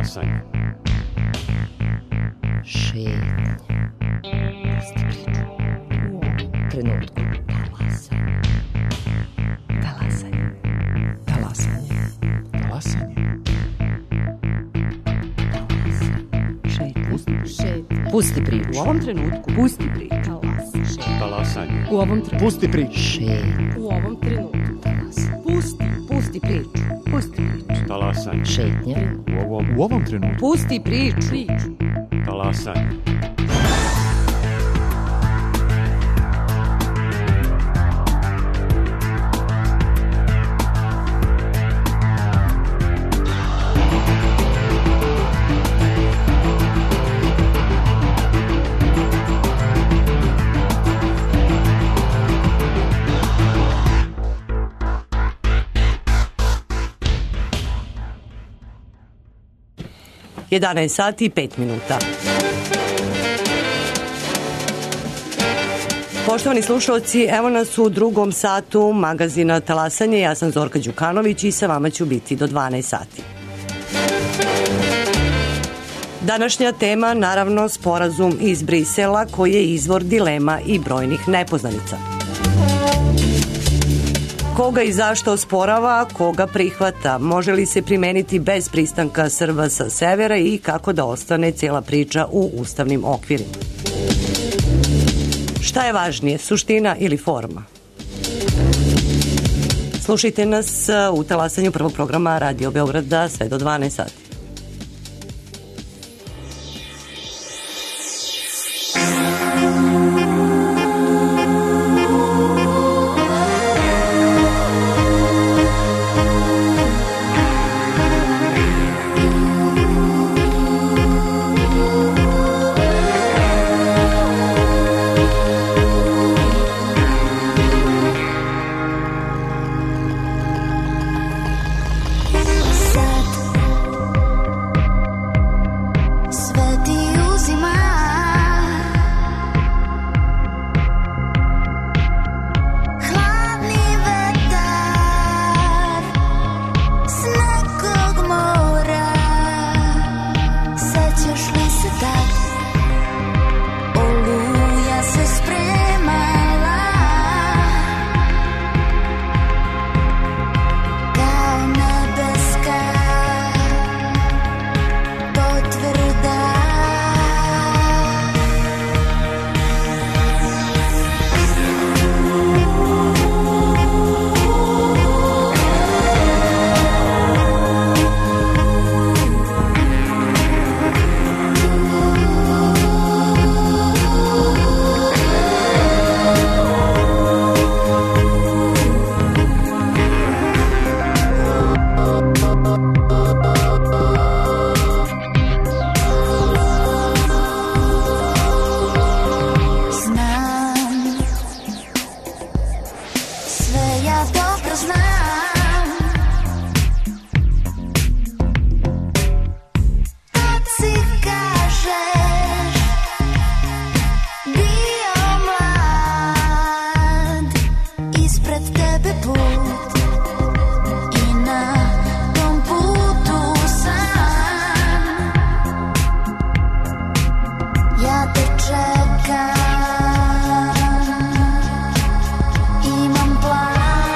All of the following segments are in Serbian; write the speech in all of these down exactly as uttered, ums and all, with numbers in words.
Talasanje. Šetnja. Pusti priču. U trenutku. Talasanje. Talasanje. Talasanje. Talasanje. Šetnja. Pusti priču. Šetnja. Pusti priču. U ovom trenutku. Pusti priču. Talasanje. U ovom trenutku. Pusti priču. Šetnja. U ovom trenutku. Pusti. Pusti priču. Pusti priču. Talasanje. Šetnja. U ovom, U ovom trenutku. Pusti priču. Priču. talasanje. jedanaest sati i pet minuta. Poštovani slušalci, evo nas u drugom satu magazina Talasanje. Ja sam Zorka Đukanović i sa vama ću biti do dvanaest sati. Današnja tema, naravno, sporazum iz Brisela koji je izvor dilema i brojnih nepoznanica. Koga i zašto osporava, koga prihvata, može li se primeniti bez pristanka Srba sa severa i kako da ostane cijela priča u ustavnim okvirima. Šta je važnije, suština ili forma? Slušajte nas u Talasanju prvog programa Radio Beograda sve do dvanaest sati. Imam plan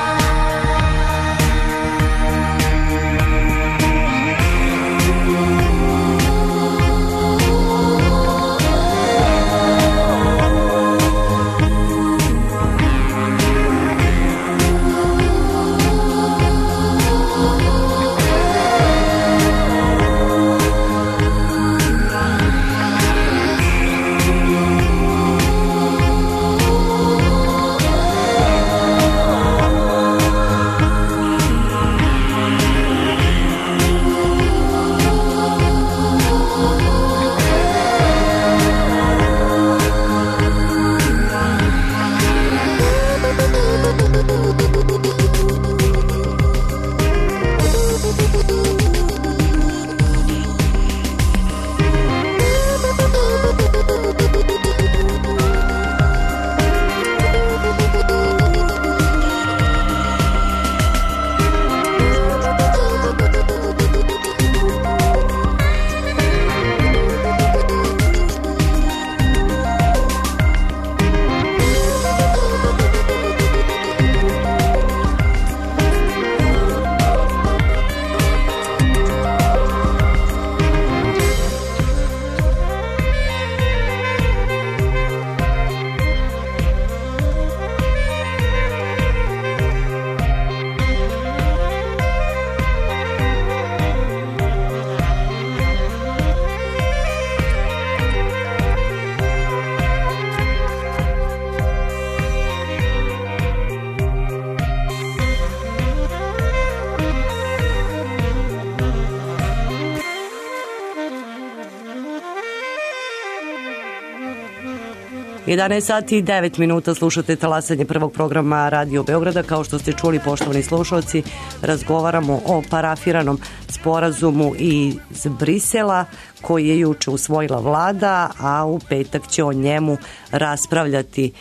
jedanaest sati i devet minuta slušate talasanje prvog programa Radio Beograda. Kao što ste čuli, poštovani slušalci, razgovaramo o parafiranom sporazumu iz Brisela koji je juče usvojila vlada, a u petak će o njemu raspravljati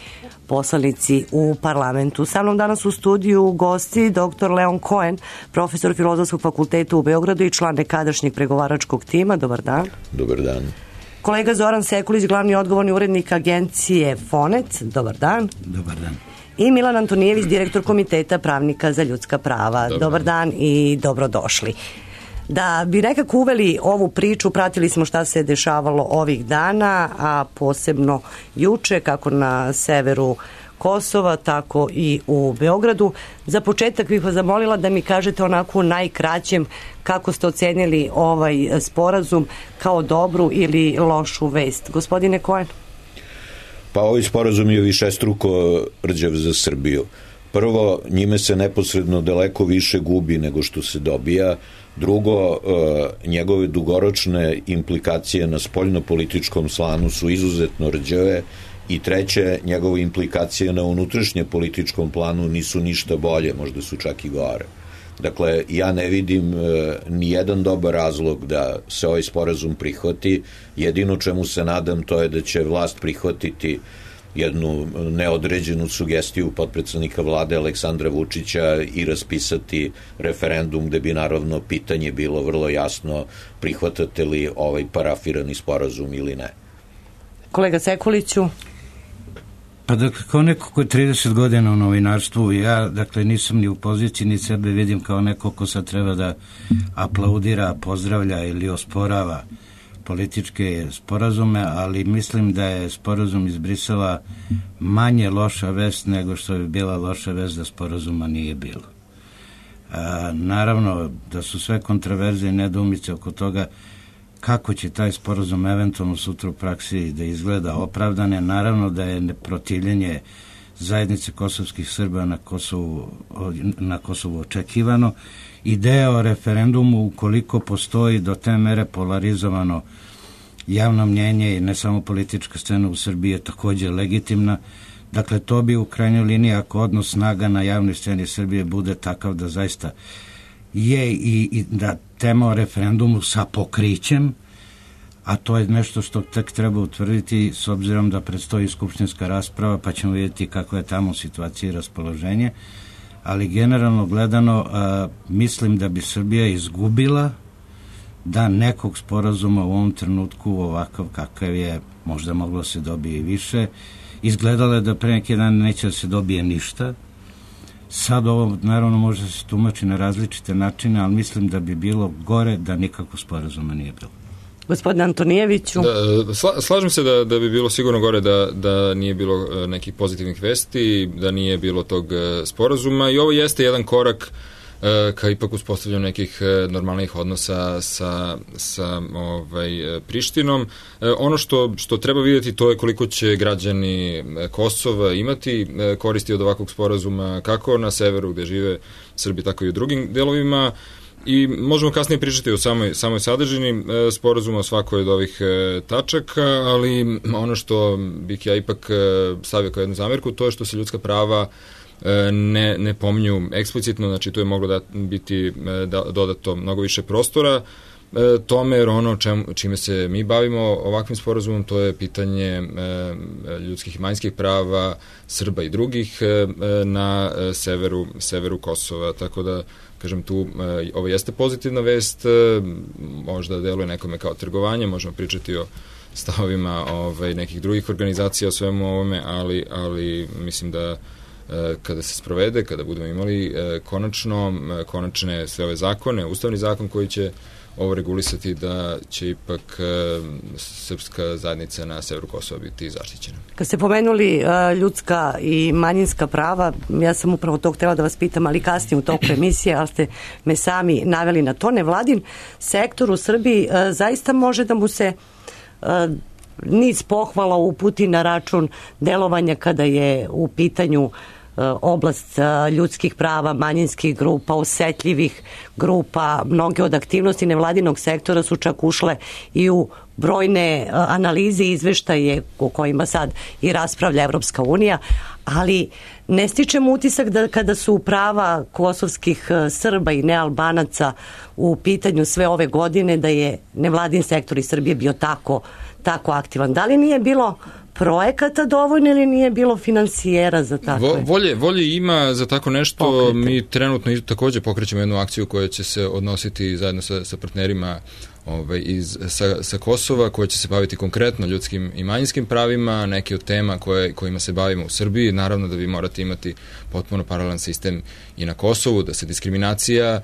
poslanici u parlamentu. Sa mnom danas u studiju gosti doktor Leon Cohen, profesor Filozofskog fakulteta u Beogradu i član nekadašnjeg pregovaračkog tima. Dobar dan. Dobar dan. Kolega Zoran Sekulić, glavni odgovorni urednik agencije Fonet. Dobar dan. Dobar dan. I Milan Antonijević, direktor Komiteta pravnika za ljudska prava. Dobar, Dobar dan i dobrodošli. Da bi nekako uveli ovu priču, pratili smo šta se dešavalo ovih dana, a posebno juče, kako na severu Kosova, tako i u Beogradu. Za početak bih vas zamolila da mi kažete onako u najkraćem kako ste ocenili ovaj sporazum, kao dobru ili lošu vest. Gospodine Cohen? Pa ovaj sporazum je višestruko rđav za Srbiju. Prvo, njime se neposredno daleko više gubi nego što se dobija. Drugo, njegove dugoročne implikacije na spoljnopolitičkom slanu su izuzetno rđave. I treće, njegove implikacije na unutrašnje političkom planu nisu ništa bolje, možda su čak i gore. Dakle, ja ne vidim e, ni jedan dobar razlog da se ovaj sporazum prihvati. Jedino čemu se nadam to je da će vlast prihvatiti jednu neodređenu sugestiju potpredsednika vlade Aleksandra Vučića i raspisati referendum gde bi naravno pitanje bilo vrlo jasno: prihvatate li ovaj parafirani sporazum ili ne. Kolega Sekuliću? Pa dakle, kao neko ko je trideset godina u novinarstvu, ja dakle nisam ni u poziciji, ni sebe vidim kao neko ko sad treba da aplaudira, pozdravlja ili osporava političke sporazume, ali mislim da je sporazum iz Brisela manje loša vest nego što bi bila loša vest da sporazuma nije bilo. A, naravno da su sve kontraverze i nedoumice oko toga kako će taj sporazum eventualno sutra u praksi da izgleda opravdane. Naravno da je protivljenje zajednice kosovskih Srba na Kosovu, na Kosovu očekivano. Ideja o referendumu, ukoliko postoji do te mere polarizovano javno mnjenje i ne samo politička scena u Srbiji, je također legitimna. Dakle, to bi u krajnjoj liniji, ako odnos snaga na javnoj sceni Srbije bude takav da zaista je i, i da tema o referendumu sa pokrićem, a to je nešto što tek treba utvrditi s obzirom da predstoji skupštinska rasprava, pa ćemo vidjeti kakva je tamo situacija i raspoloženje, ali generalno gledano a, mislim da bi Srbija izgubila da nekog sporazuma u ovom trenutku ovakav kakav je, možda moglo se dobije i više. Izgledalo je da pre neki dan neće da se dobije ništa. Sad ovo naravno može da se tumači na različite načine, ali mislim da bi bilo gore da nikako sporazuma nije bilo. Gospodine Antonijeviću? Da, sla, slažem se da, da bi bilo sigurno gore da, da nije bilo nekih pozitivnih vesti, da nije bilo tog sporazuma, i ovo jeste jedan korak ka ipak uspostavljanju nekih normalnih odnosa sa, sa ovaj, Prištinom. Ono što, što treba vidjeti, to je koliko će građani Kosova imati koristi od ovakvog sporazuma, kako na severu gde žive Srbi, tako i u drugim delovima. I možemo kasnije pričati o samoj, samoj sadržini sporazuma, o svakoj od ovih tačaka, ali ono što bih ja ipak stavio kao jednu zamerku, to je što se ljudska prava ne, ne pominju eksplicitno, znači tu je moglo da biti da, dodato mnogo više prostora tome, jer ono čem, čime se mi bavimo ovakvim sporazumom, to je pitanje ljudskih i manjinskih prava Srba i drugih na severu, severu Kosova, tako da kažem tu, ovo jeste pozitivna vest, možda deluje nekome kao trgovanje, možemo pričati o stavovima ovaj, nekih drugih organizacija o svemu ovome, ali, ali mislim da kada se sprovede, kada budemo imali konačno, konačne sve ove zakone, ustavni zakon koji će ovo regulisati, da će ipak srpska zajednica na severu Kosova biti zaštićena. Kad ste pomenuli uh, ljudska i manjinska prava, ja sam upravo to htjela da vas pitam, ali kasnije u toku emisije, ali ste me sami naveli na to. Nevladin sektor u Srbiji uh, zaista može da mu se uh, niz pohvala uputi na račun delovanja kada je u pitanju oblast ljudskih prava, manjinskih grupa, osetljivih grupa. Mnoge od aktivnosti nevladinog sektora su čak ušle i u brojne analize i izveštaje o kojima sad i raspravlja Evropska unija, ali ne stičem utisak da kada su prava kosovskih Srba i nealbanaca u pitanju sve ove godine da je nevladin sektor iz Srbije bio tako, tako aktivan. Da li nije bilo projekata dovoljno ili nije bilo finansijera za takve? Vo, volje, volje ima za tako nešto. Pokrete. Mi trenutno takođe pokrećemo jednu akciju koja će se odnositi zajedno sa, sa partnerima ovaj, iz, sa, sa Kosova, koja će se baviti konkretno ljudskim i manjinskim pravima, neke od tema koje, kojima se bavimo u Srbiji. Naravno da vi morate imati potpuno paralelan sistem i na Kosovu, da se diskriminacija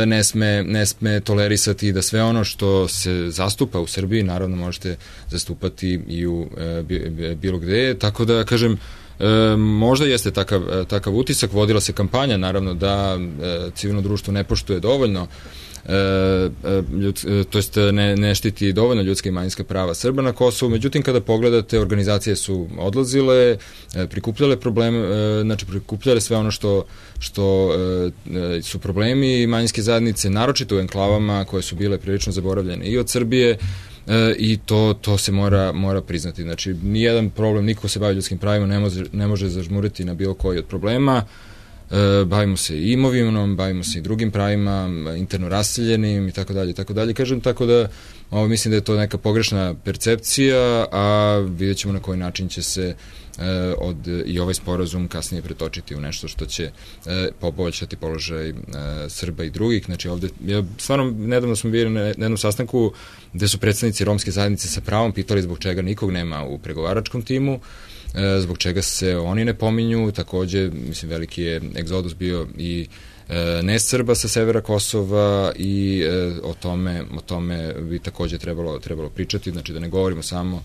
ne sme, ne sme tolerisati, da sve ono što se zastupa u Srbiji, naravno možete zastupati i u e, bilo gde, tako da kažem, e, možda jeste takav, takav utisak, vodila se kampanja, naravno da e, civilno društvo ne poštuje dovoljno E, ljud, to jest ne, ne štiti dovoljno ljudska i manjinska prava Srba na Kosovu, međutim kada pogledate, organizacije su odlazile, prikupljale probleme, znači prikupljale sve ono što, što su problemi manjinske zajednice, naročito u enklavama koje su bile prilično zaboravljene i od Srbije, i to, to se mora, mora priznati. Znači, nijedan problem, niko se bavi ljudskim pravima ne može, ne može zažmuriti na bilo koji od problema. E, bavimo se i imovinom, bavimo se i drugim pravima, interno raseljenim i tako dalje, tako dalje. Kažem, tako da ovo, mislim da je to neka pogrešna percepcija, a vidjet ćemo na koji način će se e, od, i ovaj sporazum kasnije pretočiti u nešto što će e, poboljšati položaj e, Srba i drugih. Znači ovde, ja, stvarno, nedavno smo bili na jednom sastanku gde su predstavnici romske zajednice sa pravom pitali zbog čega nikog nema u pregovaračkom timu, zbog čega se oni ne pominju. Takođe, mislim, veliki je egzodus bio i e, ne Srba sa severa Kosova i e, o tome, o tome bi takođe trebalo, trebalo pričati, znači da ne govorimo samo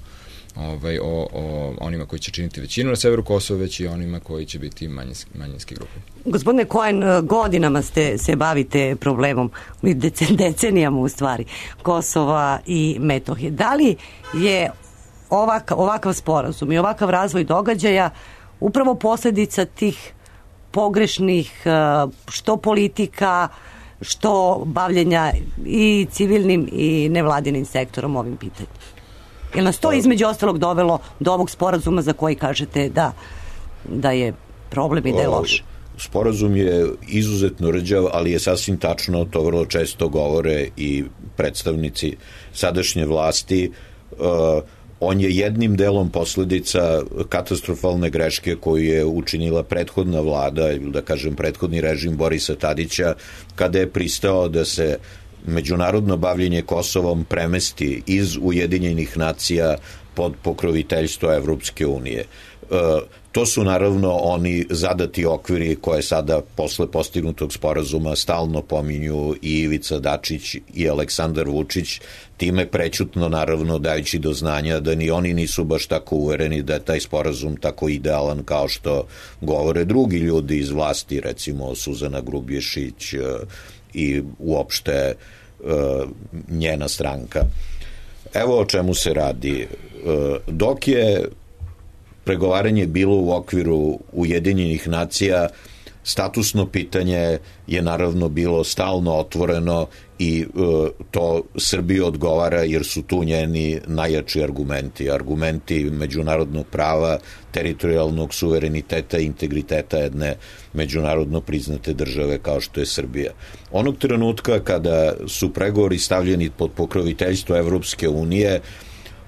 ovaj, o, o onima koji će činiti većinu na severu Kosova, već i onima koji će biti manjinski, manjinske grupe. Gospodine Cohen, godinama ste se bavite problemom, decenijama u stvari, Kosova i Metohije. Da li je Ovak, ovakav sporazum i ovakav razvoj događaja upravo posljedica tih pogrešnih što politika, što bavljenja i civilnim i nevladinim sektorom ovim pitanjem? Jer nas to između ostalog dovelo do ovog sporazuma za koji kažete da, da je problem i da je loš? Sporazum je izuzetno rđav, ali je sasvim tačno, to vrlo često govore i predstavnici sadašnje vlasti. uh, On je jednim delom posledica katastrofalne greške koju je učinila prethodna vlada, ili da kažem prethodni režim Borisa Tadića, kada je pristao da se međunarodno bavljenje Kosovom premesti iz Ujedinjenih nacija pod pokroviteljstvo Evropske unije. E, to su naravno oni zadati okviri koje sada posle postignutog sporazuma stalno pominju i Ivica Dačić i Aleksandar Vučić, time prećutno naravno dajući do znanja da ni oni nisu baš tako uvereni da je taj sporazum tako idealan kao što govore drugi ljudi iz vlasti, recimo Suzana Grubješić i uopšte njena stranka. Evo o čemu se radi. Dok je pregovaranje bilo u okviru Ujedinjenih nacija, statusno pitanje je naravno bilo stalno otvoreno i e, to Srbiji odgovara jer su tu njeni najjači argumenti. Argumenti međunarodnog prava, teritorijalnog suvereniteta i integriteta jedne međunarodno priznate države kao što je Srbija. Onog trenutka kada su pregovori stavljeni pod pokroviteljstvo Evropske unije,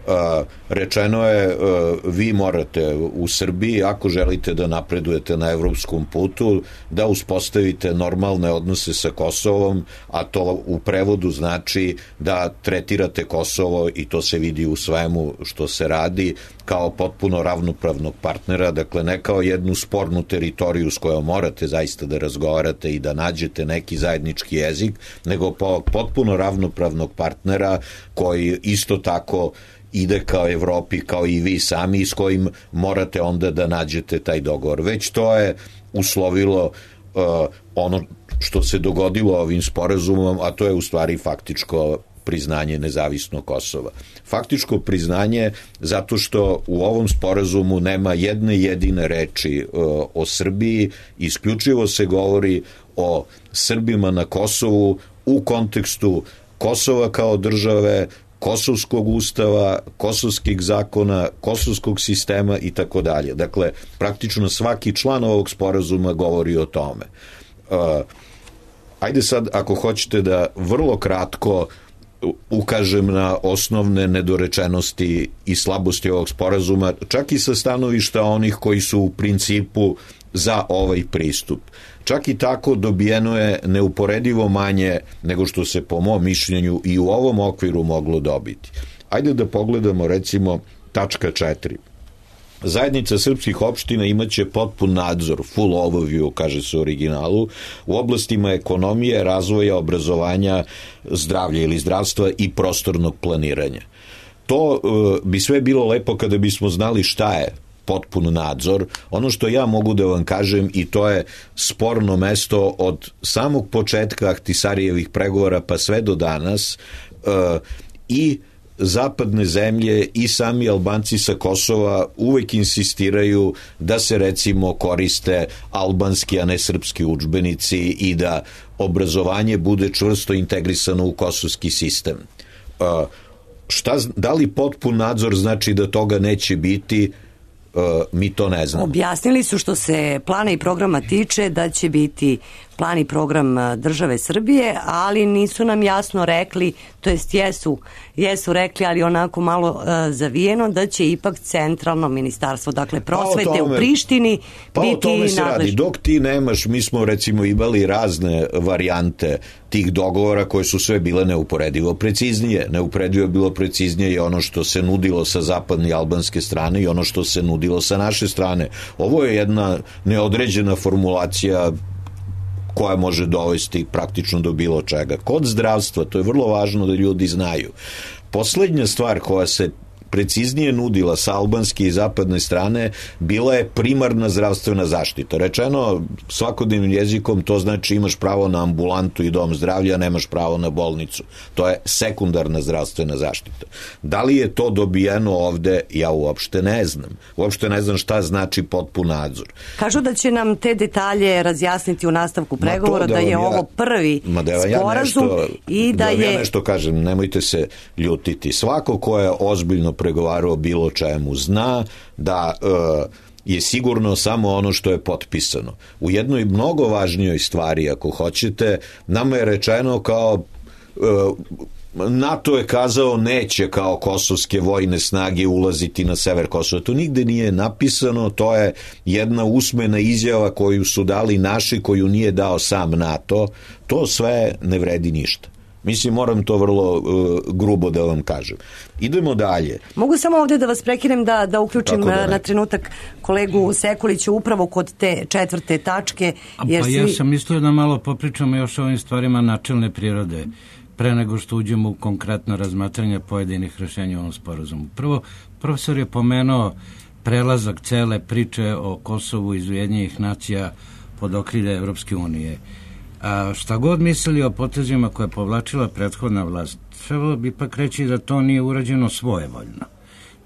Uh, rečeno je uh, vi morate u Srbiji, ako želite da napredujete na evropskom putu, da uspostavite normalne odnose sa Kosovom, a to u prevodu znači da tretirate Kosovo, i to se vidi u svemu što se radi, kao potpuno ravnopravnog partnera, dakle ne kao jednu spornu teritoriju s kojom morate zaista da razgovarate i da nađete neki zajednički jezik, nego po potpuno ravnopravnog partnera koji isto tako ide kao Evropi, kao i vi sami, s kojim morate onda da nađete taj dogovor. Već to je uslovilo uh, ono što se dogodilo ovim sporazumom, a to je u stvari faktičko priznanje nezavisnog Kosova. Faktičko priznanje zato što u ovom sporazumu nema jedne jedine reči o Srbiji, isključivo se govori o Srbima na Kosovu u kontekstu Kosova kao države, kosovskog ustava, kosovskih zakona, kosovskog sistema i tako dalje. Dakle, praktično svaki član ovog sporazuma govori o tome. Uh, ajde sad, ako hoćete da vrlo kratko ukažem na osnovne nedorečenosti i slabosti ovog sporazuma, čak i sa stanovišta onih koji su u principu za ovaj pristup. Čak i tako dobijeno je neuporedivo manje nego što se po mom mišljenju i u ovom okviru moglo dobiti. Ajde da pogledamo recimo tačka četiri. Zajednica srpskih opština imaće potpun nadzor, full overview, kaže se u originalu, u oblastima ekonomije, razvoja, obrazovanja, zdravlja ili zdravstva i prostornog planiranja. To uh, bi sve bilo lepo kada bismo znali šta je potpun nadzor. Ono što ja mogu da vam kažem, i to je sporno mesto od samog početka Ahtisarijevih pregovora pa sve do danas, uh, i zapadne zemlje i sami Albanci sa Kosova uvek insistiraju da se recimo koriste albanski, a ne srpski udžbenici i da obrazovanje bude čvrsto integrisano u kosovski sistem. Uh, šta, da li potpun nadzor znači da toga neće biti? Uh, mi to ne znamo. Objasnili su što se plana i programa tiče da će biti plan i program države Srbije, ali nisu nam jasno rekli, to jest jesu, jesu rekli, ali onako malo uh, zavijeno, da će ipak centralno ministarstvo, dakle prosvete pa tome, u Prištini pa biti o tome se nadležno. Radi. Dok ti nemaš, mi smo recimo imali razne varijante tih dogovora koje su sve bile neuporedivo preciznije. Neuporedivo bilo preciznije je ono što se nudilo sa zapadne i albanske strane i ono što se nudilo sa naše strane. Ovo je jedna neodređena formulacija koja može dovesti praktično do bilo čega. Kod zdravstva, to je vrlo važno da ljudi znaju. Poslednja stvar koja se preciznije nudila sa albanske i zapadne strane bila je primarna zdravstvena zaštita. Rečeno svakodnevnim jezikom, to znači imaš pravo na ambulantu i dom zdravlja, nemaš pravo na bolnicu. To je sekundarna zdravstvena zaštita. Da li je to dobijeno ovde, ja uopšte ne znam. Uopšte ne znam šta znači potpun nadzor. Kažu da će nam te detalje razjasniti u nastavku pregovora, da, da je ja, ovo prvi da sporazum ja nešto, i da, da je... Ja nešto kažem, nemojte se ljutiti. Svako ko je ozbiljno pregovarao bilo čemu zna da e, je sigurno samo ono što je potpisano. U jednoj mnogo važnijoj stvari, ako hoćete, nama je rečeno kao e, NATO je kazao neće kao kosovske vojne snage ulaziti na sever Kosova. To nigde nije napisano, to je jedna usmena izjava koju su dali naši, koju nije dao sam NATO. To sve ne vredi ništa. Mislim, moram to vrlo uh, grubo da vam kažem. Idemo dalje. Mogu samo ovdje da vas prekinem da, da uključim da na trenutak kolegu Sekulića upravo kod te četvrte tačke. Jer pa svi... ja sam mislio da malo popričamo još o ovim stvarima načelne prirode pre nego što uđemo u konkretno razmatranje pojedinih rešenja u ovom sporazumu. Prvo, profesor je pomenuo prelazak cele priče o Kosovu iz Ujedinjenih nacija pod okrilje Evropske unije. A šta god mislili o potezima koje je povlačila prethodna vlast, trebalo bi ipak reći da to nije urađeno svojevoljno.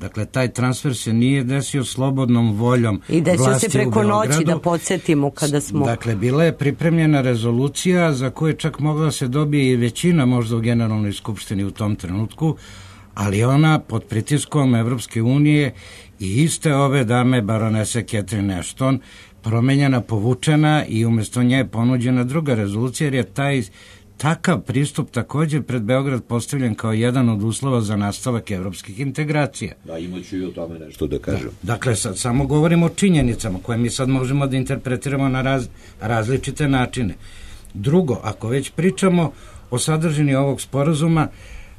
Dakle, taj transfer se nije desio slobodnom voljom i desio vlasti se preko noći, da podsjetimo kada smo... Dakle, bila je pripremljena rezolucija za koju čak mogla da se dobije i većina možda u Generalnoj skupštini u tom trenutku, ali ona pod pritiskom Evropske unije i iste ove dame baronese Catherine Ashton promenjena, povučena i umjesto nje je ponuđena druga rezolucija, jer je taj takav pristup također pred Beograd postavljen kao jedan od uslova za nastavak evropskih integracija. Da, imaću i o tome nešto da kažem. Da. Dakle, sad samo govorimo o činjenicama koje mi sad možemo da interpretiramo na raz, različite načine. Drugo, ako već pričamo o sadržini ovog sporazuma,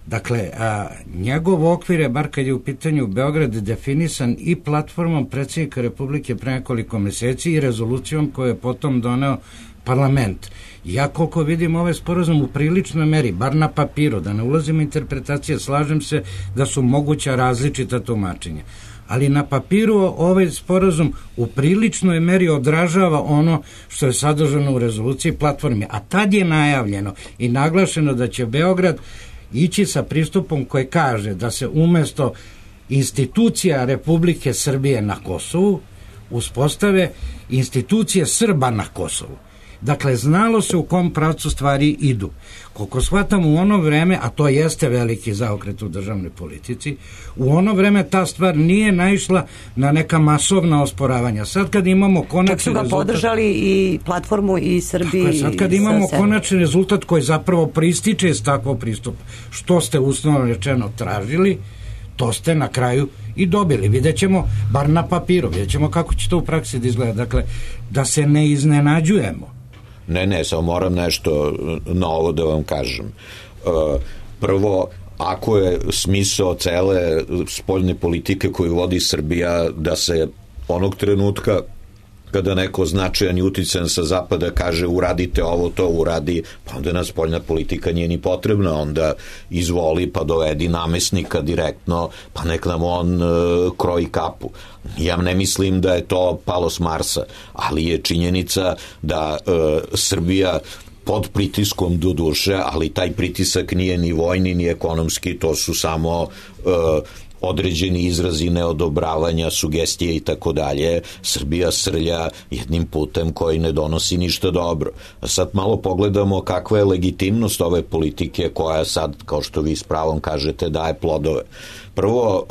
dakle, a, njegov okvir je, bar kad je u pitanju Beograd, definisan i platformom predsjednika Republike pre nekoliko meseci i rezolucijom koju je potom doneo parlament. Ja koliko vidim ovaj sporazum u priličnoj meri, bar na papiru, da ne ulazim u interpretacije, slažem se da su moguća različita tumačenja. Ali na papiru ovaj sporazum u priličnoj meri odražava ono što je sadržano u rezoluciji platformi. A tad je najavljeno i naglašeno da će Beograd ići sa pristupom koji kaže da se umesto institucija Republike Srbije na Kosovu uspostave institucije Srba na Kosovu. Dakle, znalo se u kom pravcu stvari idu. Koliko shvatam u ono vreme, a to jeste veliki zaokret u državnoj politici, u ono vreme ta stvar nije naišla na neka masovna osporavanja. Sad kad imamo konačni rezultat... Čak su ga rezultat, podržali i platformu i Srbiji. Tako je, sad kad imamo konačni rezultat koji zapravo prističe iz takvog pristupa, što ste uslovno rečeno tražili, to ste na kraju i dobili. Vidjet ćemo, bar na papiru, vidjet ćemo kako će to u praksi da izgleda. Dakle, da se ne iznenađujemo. Ne, ne, samo moram nešto na ovo da vam kažem. Prvo, ako je smisao cele spoljne politike koju vodi Srbija da se onog trenutka kada neko značajan i uticajan sa zapada kaže uradite ovo, to uradi, pa onda nas spoljna politika nije ni potrebna, onda izvoli pa dovedi namesnika direktno, pa nek nam on e, kroji kapu. Ja ne mislim da je to palo s Marsa, ali je činjenica da e, Srbija pod pritiskom do duše, ali taj pritisak nije ni vojni, ni ekonomski, to su samo e, određeni izrazi neodobravanja, sugestije i tako dalje. Srbija srlja jednim putem koji ne donosi ništa dobro. A sad malo pogledamo kakva je legitimnost ove politike koja sad, kao što vi s pravom kažete, daje plodove. Prvo,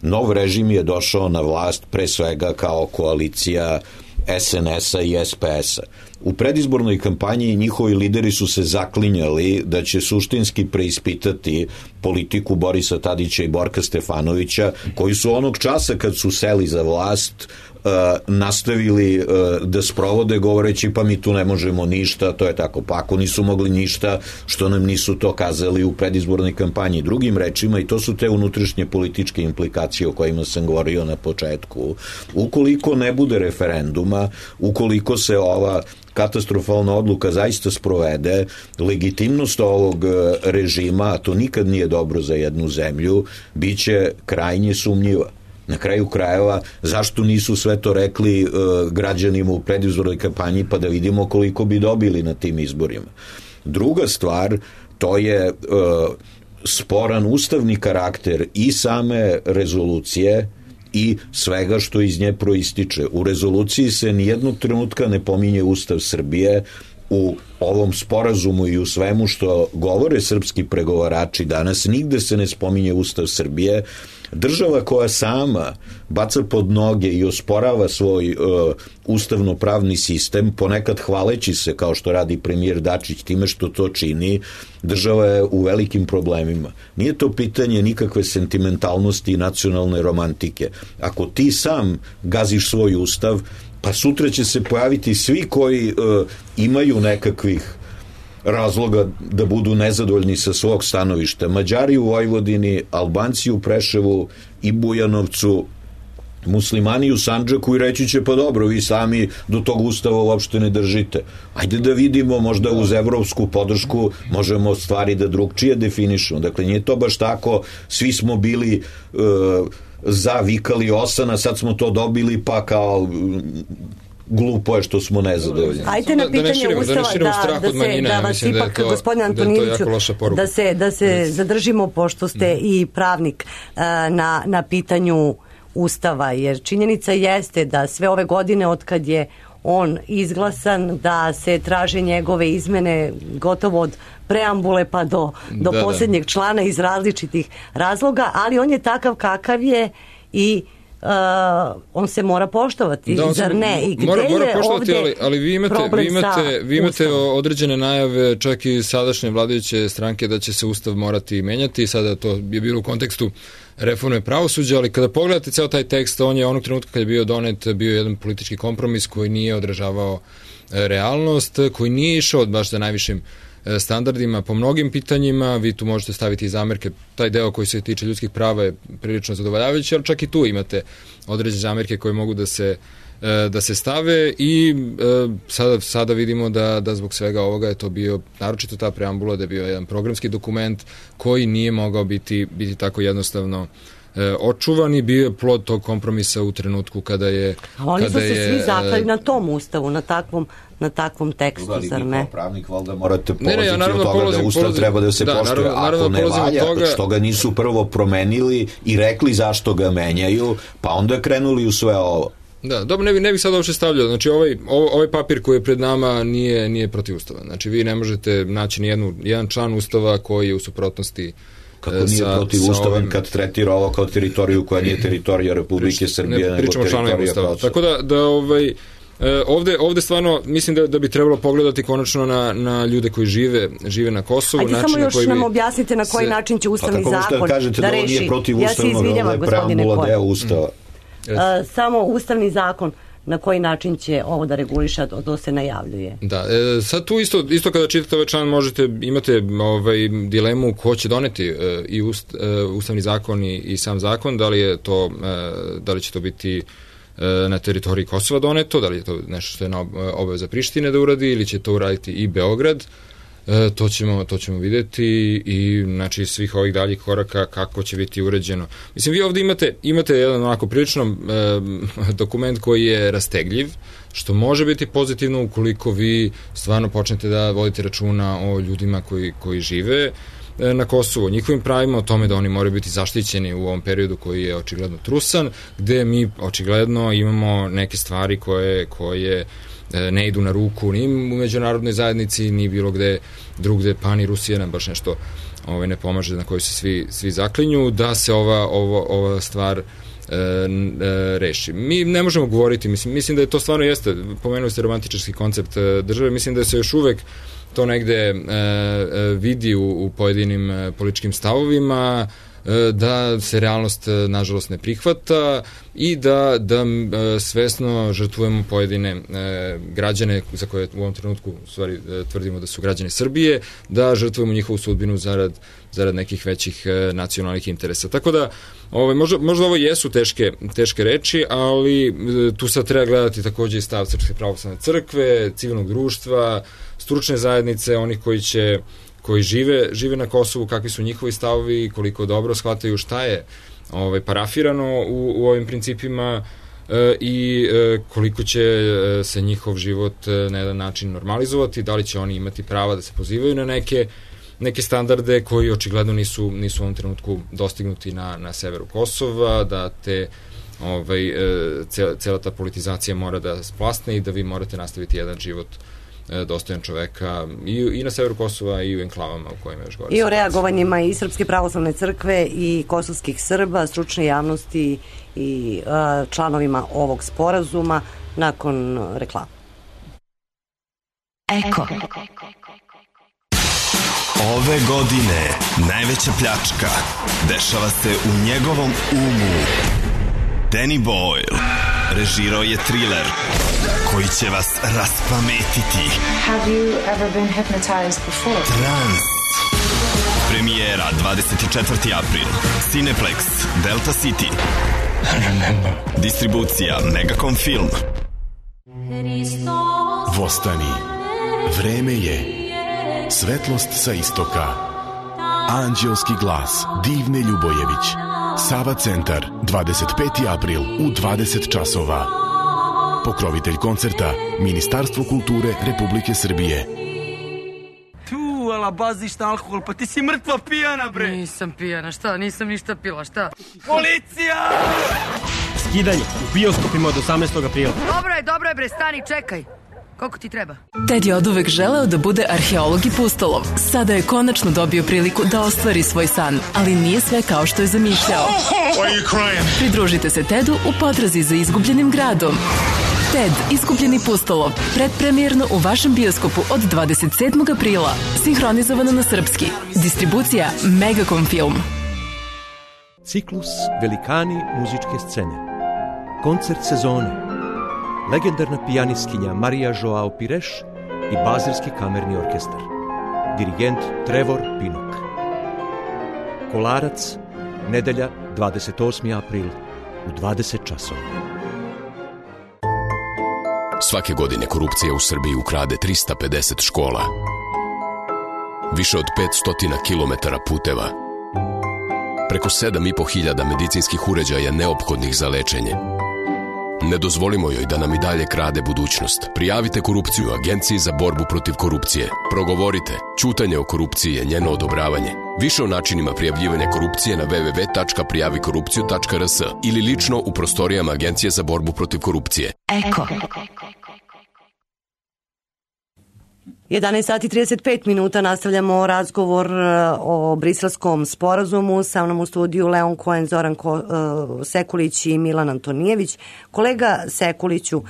nov režim je došao na vlast pre svega kao koalicija es en es-a i es pe es-a. U predizbornoj kampanji njihovi lideri su se zaklinjali da će suštinski preispitati politiku Borisa Tadića i Borka Stefanovića, koji su onog časa kad su seli za vlast Uh, nastavili uh, da sprovode govoreći pa mi tu ne možemo ništa, to je tako, pa ako nisu mogli ništa, što nam nisu to kazali u predizbornoj kampanji. Drugim rečima, i to su te unutrašnje političke implikacije o kojima sam govorio na početku, ukoliko ne bude referenduma, ukoliko se ova katastrofalna odluka zaista sprovede, legitimnost ovog režima, a to nikad nije dobro za jednu zemlju, bit će krajnje sumnjiva. Na kraju krajeva, zašto nisu sve to rekli uh, građanima u predizbornoj kampanji, pa da vidimo koliko bi dobili na tim izborima. Druga stvar, to je uh, sporan ustavni karakter i same rezolucije i svega što iz nje proističe. U rezoluciji se nijednog trenutka ne pominje Ustav Srbije. U ovom sporazumu i u svemu što govore srpski pregovarači danas, nigde se ne spominje Ustav Srbije. Država koja sama baca pod noge i osporava svoj uh, ustavno-pravni sistem, ponekad hvaleći se, kao što radi premijer Dačić time što to čini, država je u velikim problemima. Nije to pitanje nikakve sentimentalnosti i nacionalne romantike. Ako ti sam gaziš svoj ustav, pa sutra će se pojaviti svi koji uh, imaju nekakvih razloga da budu nezadovoljni sa svog stanovišta. Mađari u Vojvodini, Albanci u Preševu i Bujanovcu, muslimani u Sandžaku i reći će pa dobro, vi sami do tog ustava uopšte ne držite. Ajde da vidimo, možda uz evropsku podršku možemo stvari da drugčije definišemo. Dakle, nije to baš tako, svi smo bili uh, za, vikali osana, sad smo to dobili pa kao glupo je što smo nezadovoljni. Ajte na pitanje da širimo, Ustava da, da, da, se, da vas ipak, da gospodin Antonijeviću, da se, da se zadržimo, pošto ste mm. i pravnik, na, na pitanju Ustava, jer činjenica jeste da sve ove godine od kad je on izglasan, da se traže njegove izmene gotovo od preambule pa do, do da, posljednjeg da. člana iz različitih razloga, ali on je takav kakav je i Uh, on se mora poštovati, da, zar ne? I gde mora, mora je poštovati, ali, ali vi imate, vi imate, vi imate određene najave čak i sadašnje vladajuće stranke da će se Ustav morati menjati. Sada to je bilo u kontekstu reforme pravosuđa, ali kada pogledate ceo taj tekst, on je onog trenutka kad je bio donet bio jedan politički kompromis koji nije odražavao realnost, koji nije išao baš za najvišim standardima po mnogim pitanjima. Vi tu možete staviti i zamerke, taj deo koji se tiče ljudskih prava je prilično zadovoljavajući, ali čak i tu imate određene zamerke koje mogu da se da se stave i sada, sada vidimo da, da zbog svega ovoga je to bio, naročito ta preambula, da je bio jedan programski dokument koji nije mogao biti, biti tako jednostavno e, očuvan i bio je plod tog kompromisa u trenutku kada je... A oni kada su se je, svi zaklali e, na tom ustavu, na takvom, na takvom tekstu, Ali zar vi ne? kao pravnik valjda morate Ne, ne, ja polaziti naravno od toga polazim- da ustav polazim- treba da se da, poštuje. naravno- naravno Ako ne polazim od valja, toga- što ga nisu prvo promenili i rekli zašto ga menjaju, pa onda krenuli u sve ovo. Da, dobro, ne bih ne bi sad uopšte stavljao. Znači, ovaj, ovaj papir koji je pred nama nije, nije protivustavan. Znači, vi ne možete naći nijednu, jedan član ustava koji je u suprotnosti Kako e, nije sa, protiv sa ustavan ovim- kad tretira ovo kao teritoriju koja nije teritorija Republike Srbije, ne nego pričamo o članovima teritorija ustava. Kosova. Tako da, da ovaj, e, ovde, ovde stvarno mislim da, da bi trebalo pogledati konačno na, na ljude koji žive, žive na Kosovu. Ajde način samo na još koji nam bi objasnite na koji se- način će ustavni Pa tako zakon možete kažete da, da ovo reši. nije protiv Ja se ustavnog, izvinjavam, ovo je gospodine preambula Koja. deo ustava. A, samo ustavni zakon na koji način će ovo da reguliše, a to se najavljuje. Da, e, sad tu isto, isto kada čitate ovaj član možete, imate ovaj, dilemu ko će doneti e, i ust, e, ustavni zakon i, i sam zakon, da li je to, e, da li će to biti e, na teritoriji Kosova doneto, da li je to nešto što je na obaveza Prištine da uradi ili će to uraditi i Beograd. E, to ćemo to ćemo videti i znači svih ovih daljih koraka kako će biti uređeno. Mislim, vi ovde imate imate jedan onako prilično e, dokument koji je rastegljiv, što može biti pozitivno ukoliko vi stvarno počnete da vodite računa o ljudima koji koji žive e, na Kosovu, o njihovim pravima, o tome da oni moraju biti zaštićeni u ovom periodu koji je očigledno trusan, gde mi očigledno imamo neke stvari koje koje ne idu na ruku ni u međunarodnoj zajednici, ni bilo gde drugde, pa ni Rusija nam baš nešto ovaj, ne pomaže, na koju se svi, svi zaklinju, da se ova, ovo, ova stvar e, e, reši. Mi ne možemo govoriti, mislim, mislim da je to stvarno jeste, pomenuli ste romantičarski koncept e, države, mislim da se još uvek to negde e, e, vidi u, u pojedinim e, političkim stavovima, da se realnost nažalost ne prihvata i da, da svesno žrtvujemo pojedine e, građane za koje u ovom trenutku u stvari e, tvrdimo da su građani Srbije, da žrtvujemo njihovu sudbinu zarad, zarad nekih većih e, nacionalnih interesa. Tako da ovaj, možda, možda ovo jesu teške, teške reči, ali e, tu sad treba gledati takođe i stav Srpske pravoslavne crkve, civilnog društva, stručne zajednice, onih koji će koji žive, žive na Kosovu, kakvi su njihovi stavovi, koliko dobro shvataju šta je ovaj, parafirano u, u ovim principima e, i e, koliko će e, se njihov život e, na jedan način normalizovati, da li će oni imati prava da se pozivaju na neke, neke standarde koji očigledno nisu, nisu u ovom trenutku dostignuti na, na severu Kosova, da te ovaj, e, cela, cela ta politizacija mora da splasne i da vi morate nastaviti jedan život dostojan čoveka i, i na severu Kosova i u enklavama u kojima još gore. I o reagovanjima i Srpske pravoslavne crkve i kosovskih Srba, stručne javnosti i a, članovima ovog sporazuma nakon reklama. Eko. Ove godine najveća pljačka dešava se u njegovom umu. Danny Boyle režirao je thriller koji će vas raspametiti. Have you ever been hypnotized before? Trans. Premijera dvadeset četvrti april. Cineplex, Delta City. Distribucija Megacom Film. Vostani. Vreme je. Svetlost sa istoka. Anđelski glas Divne Ljubojević. Sava centar, dvadeset peti april u dvadeset časova. Pokrovitelj koncerta Ministarstvo kulture Republike Srbije. Tu, ala baziš na alkohol, pa ti si mrtva pijana, bre. Nisam pijana, šta? Nisam ništa pila, šta? Policija! Skidanje u bioskopima od osamnaestog aprila. Dobro je, dobro je, bre, stani, čekaj. Koliko ti treba? Ted je oduvek želeo da bude arheolog i pustolov. Sada je konačno dobio priliku da ostvari svoj san, ali nije sve kao što je zamišljao. Pridružite se Tedu u potrazi za izgubljenim gradom. Ted, izgubljeni pustolov, predpremijerno u vašem bioskopu od dvadeset sedmog aprila. Sinhronizovano na srpski. Distribucija Megacom Film. Ciklus Velikani muzičke scene. Koncert sezone. Legendarna pijanistkinja Marija Joao Pires i Bazilski kamerni orkestar. Dirigent Trevor Pinnock. Kolarac, nedelja dvadeset osmi april u dvadeset časova. Svake godine korupcija u Srbiji ukrade trista pedeset škola, više od petsto kilometara puteva, preko sedam i po hiljada medicinskih uređaja neophodnih za lečenje. Ne dozvolimo joj da nam i dalje krade budućnost. Prijavite korupciju Agenciji za borbu protiv korupcije. Progovorite. Ćutanje o korupciji je njeno odobravanje. Više o načinima prijavljivanja korupcije na w w w tačka prijavi korupciju tačka r s ili lično u prostorijama Agencije za borbu protiv korupcije. Eko. jedanaest sati i trideset pet minuta, nastavljamo razgovor o briselskom sporazumu. Sa mnom u studiju Leon Cohen, Zoran Ko, uh, Sekulić i Milan Antonijević. Kolega Sekuliću, uh,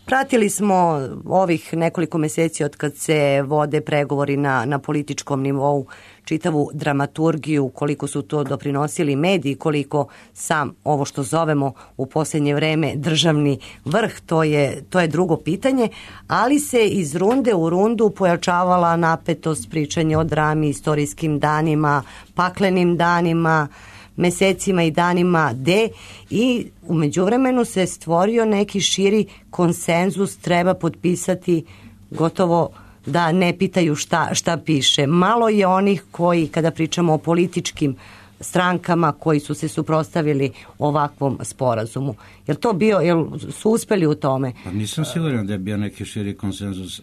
pratili smo ovih nekoliko meseci od kad se vode pregovori na, na političkom nivou, čitavu dramaturgiju, koliko su to doprinosili mediji, koliko sam ovo što zovemo u posljednje vreme državni vrh, to je, to je drugo pitanje, ali se iz runde u rundu pojačavala napetost, pričanje o drami, istorijskim danima, paklenim danima, mesecima i danima D, i u međuvremenu se stvorio neki širi konsenzus, treba potpisati gotovo da ne pitaju šta, šta piše. Malo je onih koji, kada pričamo o političkim strankama, koji su se suprotstavili ovakvom sporazumu. Jel to bio, jel su uspeli u tome? Pa nisam siguran da je bio neki širi konsenzus.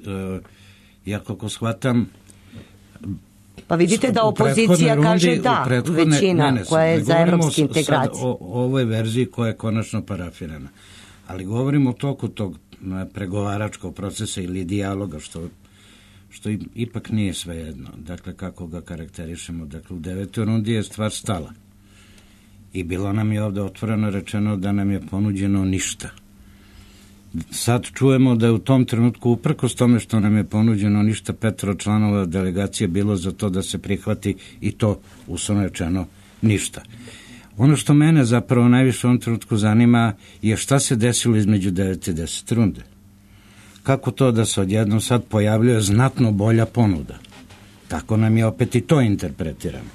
Ja kako shvatam, pa vidite da opozicija rundi, kaže da, većina ne, ne, koja je za evropske integracije. O, o ovoj verziji koja je konačno parafirana. Ali govorimo o toku tog pregovaračkog procesa ili dijaloga, što što ipak nije svejedno, dakle kako ga karakterišemo. Dakle, u devetoj rundi je stvar stala i bilo nam je ovde otvoreno rečeno da nam je ponuđeno ništa. Sad čujemo da je u tom trenutku, uprkos tome što nam je ponuđeno ništa, petoro članova delegacije bilo za to da se prihvati i to uslovno rečeno ništa. Ono što mene zapravo najviše u ovom trenutku zanima je šta se desilo između devete i desete runde. Kako to da se odjednom sad pojavljuje znatno bolja ponuda? Tako nam je opet i to interpretirano.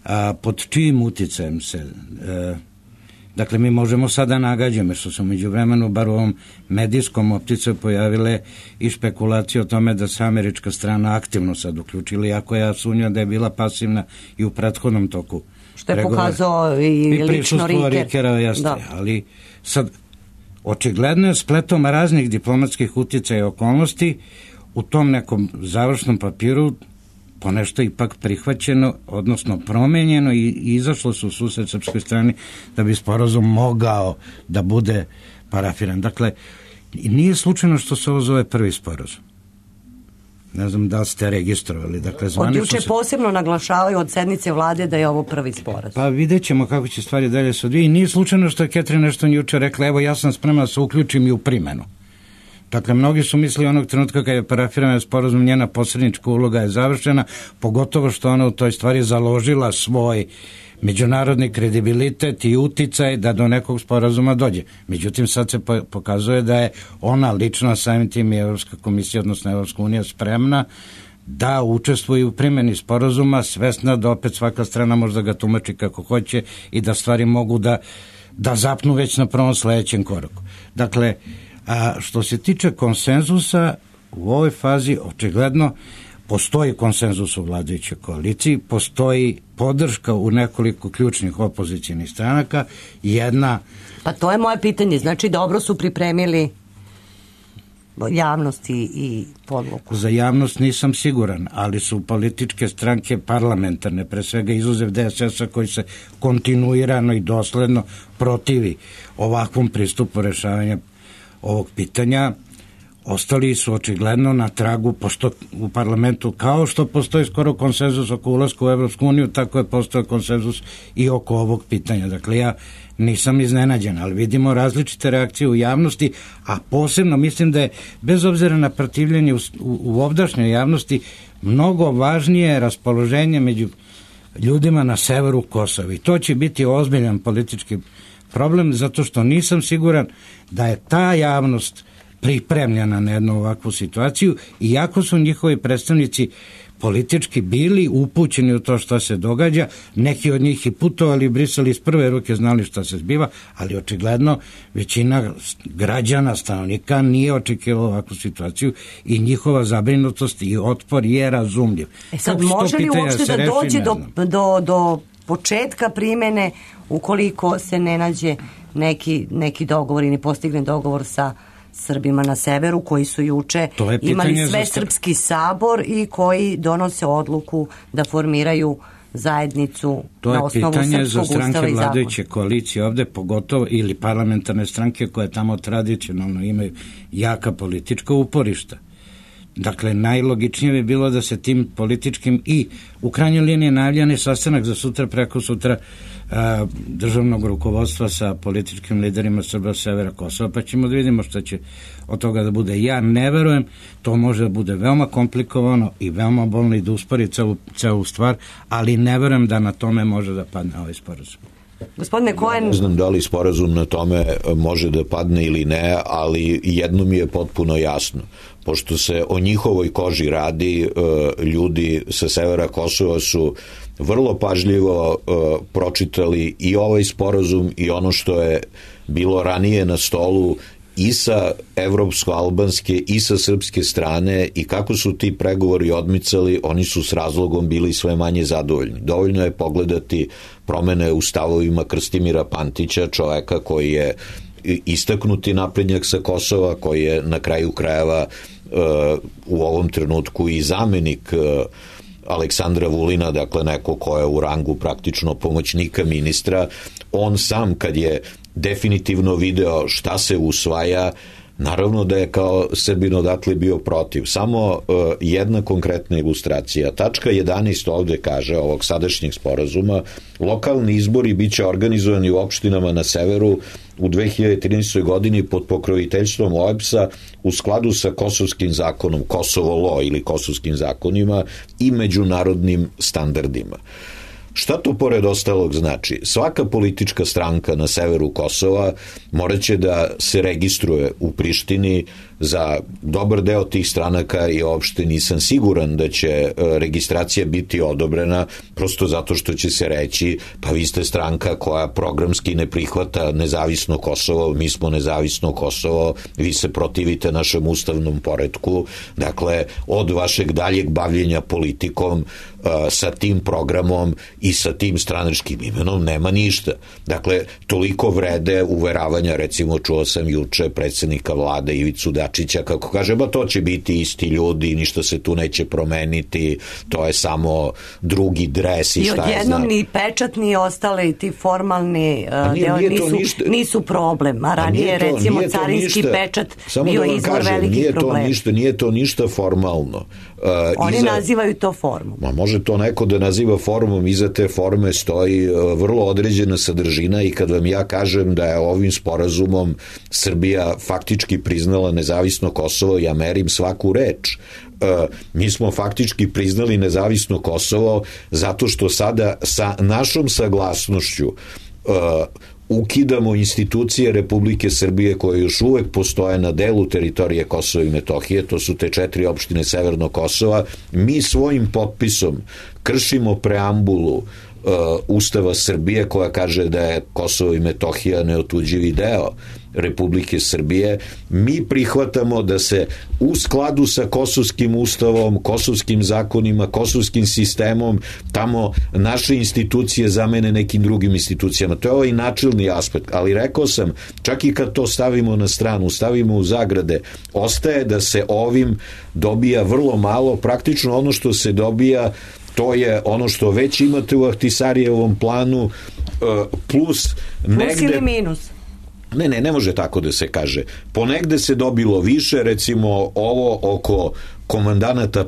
A pod čijim uticajem se... E, dakle, mi možemo sada nagađamo, što su među vremenu, bar u ovom medijskom opticaju pojavile i špekulacije o tome da se američka strana aktivno sad uključila, iako ja sumnjam da je bila pasivna i u prethodnom toku. Što je pokazao i, i lično Riker. Rikera, jeste, ali sad... Očigledno je spletom raznih diplomatskih uticaja i okolnosti u tom nekom završnom papiru ponešto ipak prihvaćeno, odnosno promenjeno i izašlo su u susret srpskoj strani da bi sporazum mogao da bude parafiran. Dakle, nije slučajno što se ovo zove prvi sporazum. Ne znam da li ste registrovali. Dakle, od juče se... posebno naglašavaju od sednice vlade da je ovo prvi sporazum. Pa vidjet ćemo kako će stvari dalje se odvijeti. Nije slučajno što je Ketrin nešto juče rekla, evo ja sam spremna da se uključim i u primenu. Dakle, mnogi su mislili onog trenutka kada je parafiran sporazum, njena posrednička uloga je završena, pogotovo što ona u toj stvari založila svoj međunarodni kredibilitet i uticaj da do nekog sporazuma dođe. Međutim, sad se pokazuje da je ona lično, samim tim i Evropska komisija, odnosno Evropska unija, spremna da učestvuje u primjeni sporazuma, svesna da opet svaka strana može da ga tumači kako hoće i da stvari mogu da, da zapnu već na prvom sledećem koraku. Dakle, a što se tiče konsenzusa, u ovoj fazi očigledno postoji konsenzus u vladajućoj koaliciji, postoji podrška u nekoliko ključnih opozicijnih stranaka, jedna... Pa to je moje pitanje, znači dobro su pripremili javnost i, i podlogu. Za javnost nisam siguran, ali su političke stranke parlamentarne, pre svega izuzev D S S-a koji se kontinuirano i dosledno protivi ovakvom pristupu rešavanja ovog pitanja, ostali su očigledno na tragu, pošto u parlamentu, kao što postoji skoro konsenzus oko ulaska u Evropsku uniju, tako je postao konsenzus i oko ovog pitanja. Dakle, ja nisam iznenađen, ali vidimo različite reakcije u javnosti, a posebno mislim da je, bez obzira na protivljenje u, u, u ovdašnjoj javnosti, mnogo važnije raspoloženje među ljudima na severu Kosova. I to će biti ozbiljan politički problem, zato što nisam siguran da je ta javnost pripremljena na jednu ovakvu situaciju, iako su njihovi predstavnici politički bili upućeni u to što se događa, neki od njih i putovali u Brisel, iz prve ruke znali šta se zbiva, ali očigledno većina građana, stanovnika nije očekivala ovakvu situaciju i njihova zabrinutost i otpor je razumljiv. E sad, može li uopšte da dođe do, do, do početka primene ukoliko se ne nađe neki, neki dogovor i ne postigne dogovor sa Srbima na severu koji su juče imali sve srpski sabor i koji donose odluku da formiraju zajednicu na osnovu srpskog ustava i zakona. To je pitanje za stranke vladajuće koalicije ovde, pogotovo ili parlamentarne stranke koje tamo tradicionalno imaju jaka politička uporišta. Dakle, najlogičnije bi bilo da se tim političkim i u krajnjoj liniji najavljeni sastanak za sutra, preko sutra a, državnog rukovodstva sa političkim liderima Srba severa Kosova, pa ćemo da vidimo što će od toga da bude. Ja ne verujem, to može da bude veoma komplikovano i veoma bolno i da uspori celu, celu stvar, ali ne verujem da na tome može da padne ovaj sporazum. Gospodine Cohen... Ne znam da li sporazum na tome može da padne ili ne, ali jedno mi je potpuno jasno. Pošto se o njihovoj koži radi, ljudi sa severa Kosova su vrlo pažljivo pročitali i ovaj sporazum i ono što je bilo ranije na stolu i sa evropsko-albanske i sa srpske strane i kako su ti pregovori odmicali, oni su s razlogom bili sve manje zadovoljni. Dovoljno je pogledati promene u stavovima Krstimira Pantića, čoveka koji je istaknuti naprednjak sa Kosova, koji je na kraju krajeva u ovom trenutku i zamenik Aleksandra Vulina, dakle neko ko je u rangu praktično pomoćnika ministra. On sam kad je definitivno video šta se usvaja, naravno da je kao Srbin odatle bio protiv. Samo uh, jedna konkretna ilustracija. Tačka jedanaest ovde kaže, ovog sadašnjeg sporazuma, lokalni izbori biće organizovani u opštinama na severu u dve hiljade trinaestoj. godini pod pokroviteljstvom O E B S-a u skladu sa kosovskim zakonom, Kosovo Law ili kosovskim zakonima i međunarodnim standardima. Šta to pored ostalog znači? Svaka politička stranka na severu Kosova morat će da se registruje u Prištini. Za dobar deo tih stranaka i uopšte nisam siguran da će registracija biti odobrena, prosto zato što će se reći pa vi ste stranka koja programski ne prihvata nezavisno Kosovo, mi smo nezavisno Kosovo, vi se protivite našem ustavnom poretku, dakle od vašeg daljeg bavljenja politikom sa tim programom i sa tim stranačkim imenom nema ništa. Dakle, toliko vrede uveravanja, recimo čuo sam juče predsjednika vlade Ivicu Dačića kako kaže, ba to će biti isti ljudi, ništa se tu neće promeniti, to je samo drugi dres i, I šta je znam. I odjednom ni pečat ni ostale ti formalni uh, nije, deo nije nisu, ništa, nisu problem, a ranije to, recimo carinski ništa, pečat bio da izvor kažem, velikih nije problema. To ništa, nije to ništa formalno. Uh, Oni iza, nazivaju to formom. Ma može to neko da naziva formom, iza te forme stoji uh, vrlo određena sadržina i kad vam ja kažem da je ovim sporazumom Srbija faktički priznala nezavisno Kosovo, ja merim svaku reč. Uh, mi smo faktički priznali nezavisno Kosovo zato što sada sa našom saglasnošću uh, ukidamo institucije Republike Srbije koje još uvek postoje na delu teritorije Kosova i Metohije, to su te četiri opštine Severnog Kosova. Mi svojim potpisom kršimo preambulu uh, Ustava Srbije koja kaže da je Kosovo i Metohija neotuđivi deo Republike Srbije. Mi prihvatamo da se u skladu sa kosovskim ustavom, kosovskim zakonima, kosovskim sistemom tamo naše institucije zamene nekim drugim institucijama. To je ovaj načelni aspekt, ali rekao sam, čak i kad to stavimo na stranu, stavimo u zagrade, ostaje da se ovim dobija vrlo malo, praktično ono što se dobija to je ono što već imate u Ahtisarijevom planu plus negde... Plus ili minus? Ne, ne, ne može tako da se kaže. Ponegde se dobilo više, recimo ovo oko komandanata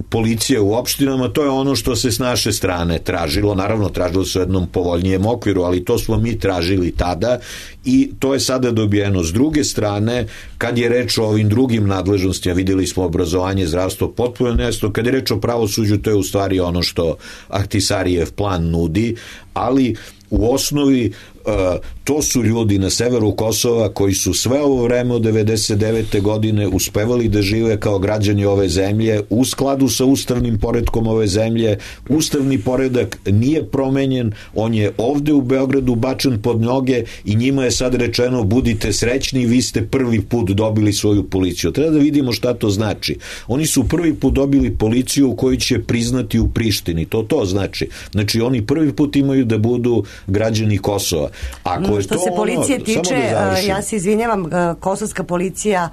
policije u opštinama, to je ono što se s naše strane tražilo, naravno tražilo se u jednom povoljnijem okviru, ali to smo mi tražili tada i to je sada dobijeno. S druge strane, kad je reč o ovim drugim nadležnostima, videli smo obrazovanje, zdravstvo, potpuno nesto, kad je reč o pravosuđu, to je u stvari ono što Ahtisarijev plan nudi, ali u osnovi to su ljudi na severu Kosova koji su sve ovo vreme od devedeset devete godine uspevali da žive kao građani ove zemlje u skladu sa ustavnim poretkom ove zemlje. Ustavni poredak nije promenjen, on je ovde u Beogradu bačen pod noge i njima je sad rečeno budite srećni, vi ste prvi put dobili svoju policiju. Treba da vidimo šta to znači. Oni su prvi put dobili policiju koju će priznati u Prištini. To to znači. Znači oni prvi put imaju da budu građani Kosova. Ako je što to se policije ono, tiče, da ja se izvinjavam, kosovska policija